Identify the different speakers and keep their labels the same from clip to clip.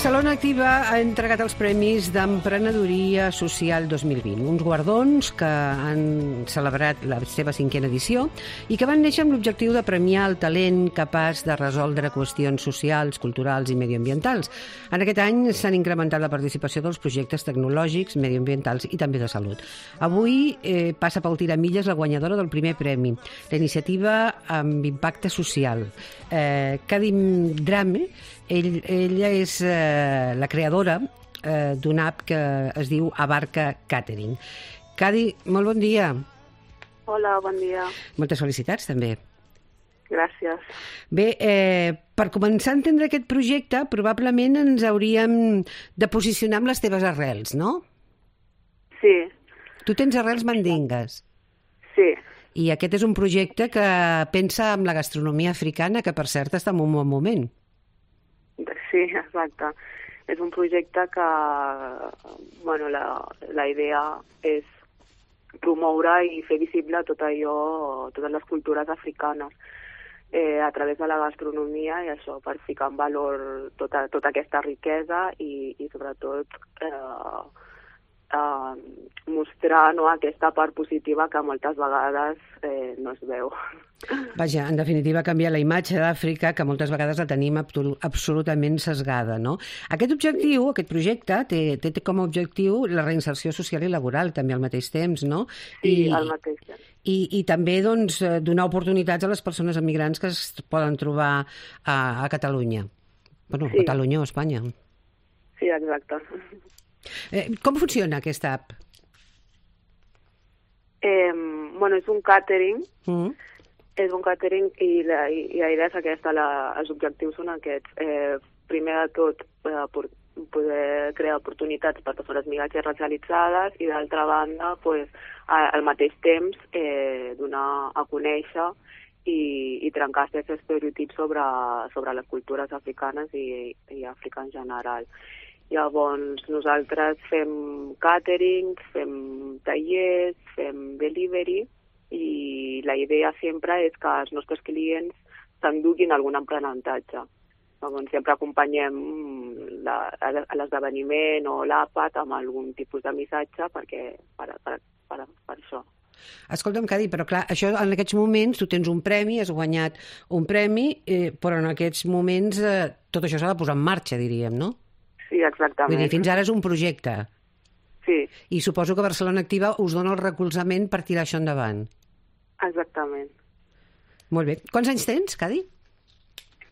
Speaker 1: Barcelona Activa ha entregat els Premis d'Emprenedoria Social 2020, uns guardons que han celebrat la seva 5a edició i que van néixer amb l'objectiu de premiar el talent capaç de resoldre qüestions socials, culturals i mediambientals. En aquest any s'han incrementat la participació dels projectes tecnològics, mediambientals i també de salut. Avui passa pel tiramilles la guanyadora del primer premi, la iniciativa amb impacte social. Kadim Drame, ella és la creadora d'una app que es diu Abarca Catering. Cadi, molt bon dia.
Speaker 2: Hola, bon dia.
Speaker 1: Moltes felicitats, també.
Speaker 2: Gràcies.
Speaker 1: Bé, per començar a entendre aquest projecte, probablement ens hauríem de posicionar amb les teves arrels, no?
Speaker 2: Sí.
Speaker 1: Tu tens arrels mandingues.
Speaker 2: Sí.
Speaker 1: I aquest és un projecte que pensa en la gastronomia africana, que per cert està en un bon moment.
Speaker 2: Sí, exacte. És un projecte que, bueno, la idea és promoure i fer visible tot allò, totes les cultures africanes a través de la gastronomia i això, per ficar en valor tota aquesta riquesa i sobretot mostrar, no, aquesta part positiva que moltes vegades no es veu.
Speaker 1: Vaja, en definitiva, canviar la imatge d'Àfrica, que moltes vegades la tenim absolutament sesgada, no? Aquest objectiu, aquest projecte, té com a objectiu la reinserció social i laboral, també al mateix temps, no?
Speaker 2: Sí, al mateix temps.
Speaker 1: I també, doncs, donar oportunitats a les persones emigrants que es poden trobar a Catalunya. Bueno, sí. Catalunya o Espanya.
Speaker 2: Sí, exacte.
Speaker 1: Com funciona aquesta app?
Speaker 2: Bueno, és un càtering. És un càtering i la idea és aquesta, els objectius són aquests. Primer de tot, poder crear oportunitats per persones migrants i racialitzades i d'altra banda, pues, al mateix temps, donar a conèixer i trencar aquests estereotips sobre les cultures africanes i Àfrica en general. Llavors, nosaltres fem càtering, fem tallers, fem delivery i la idea sempre és que els nostres clients s'enduguin algun aprenentatge. Llavors, sempre acompanyem l'esdeveniment o l'àpat amb algun tipus de missatge per això.
Speaker 1: Escolta'm, Cadi, però clar, això en aquests moments tu tens un premi, has guanyat un premi, però en aquests moments tot això s'ha de posar en marxa, diríem, no?
Speaker 2: Sí, exactament.
Speaker 1: Vull dir, fins ara és un projecte.
Speaker 2: Sí.
Speaker 1: I suposo que Barcelona Activa us dona el recolzament per tirar això endavant.
Speaker 2: Exactament.
Speaker 1: Molt bé. Quants anys tens, Cadi?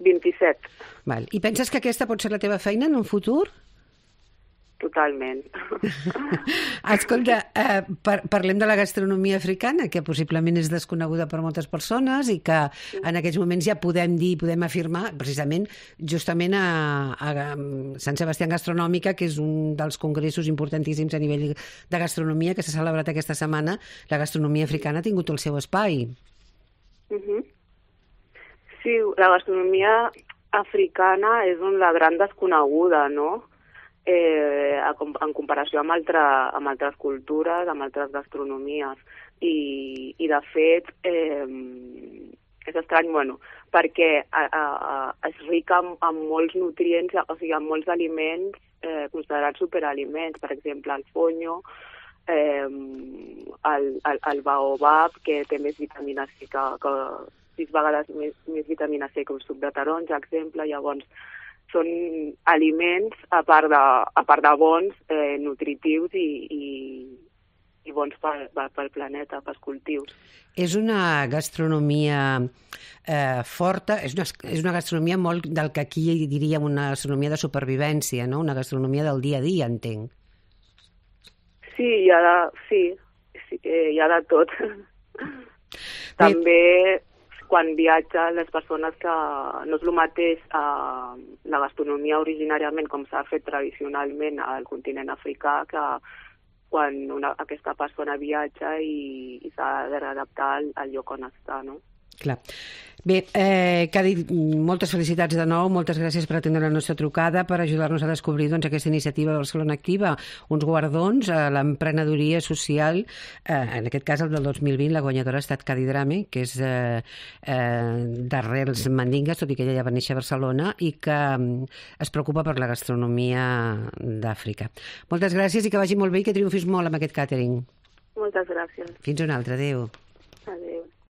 Speaker 2: 27.
Speaker 1: Val. I penses que aquesta pot ser la teva feina en un futur?
Speaker 2: Totalment.
Speaker 1: Escolta, parlem de la gastronomia africana, que possiblement és desconeguda per moltes persones i que en aquests moments ja podem afirmar, precisament, justament a Sant Sebastià Gastronòmica, que és un dels congressos importantíssims a nivell de gastronomia que s'ha celebrat aquesta setmana, la gastronomia africana ha tingut el seu espai.
Speaker 2: Sí, la gastronomia africana és la gran desconeguda, no?, en comparació amb altres cultures, amb altres gastronomies. I de fet, és estrany, bueno, perquè és rica en molts nutrients, o sigui, en molts aliments considerats superaliments. Per exemple, el fonyo, el baobab, que té més vitamina C, que 6 vegades més vitamina C que un suc de taronja, exemple. Llavors, són aliments, a part de bons, nutritius i bons pel planeta, pels cultius.
Speaker 1: És una gastronomia forta, és una gastronomia molt del que aquí diríem una gastronomia de supervivència, no? Una gastronomia del dia a dia, entenc.
Speaker 2: Sí, hi ha de tot. També quan viatgen les persones que no és el mateix la gastronomia originàriament com s'ha fet tradicionalment al continent africà que quan aquesta persona viatja i s'ha d'adaptar al lloc on està, no?
Speaker 1: Clar. Bé, Cadi, moltes felicitats de nou, moltes gràcies per atendre la nostra trucada, per ajudar-nos a descobrir aquesta iniciativa de Barcelona Activa, uns guardons a l'emprenedoria social, en aquest cas el del 2020, la guanyadora ha estat Cadi Drame, que és d'arrels mandingues, tot i que ella ja va néixer a Barcelona, i que es preocupa per la gastronomia d'Àfrica. Moltes gràcies i que vagi molt bé i que triomfis molt amb aquest càtering.
Speaker 2: Moltes gràcies.
Speaker 1: Fins una altra, adéu.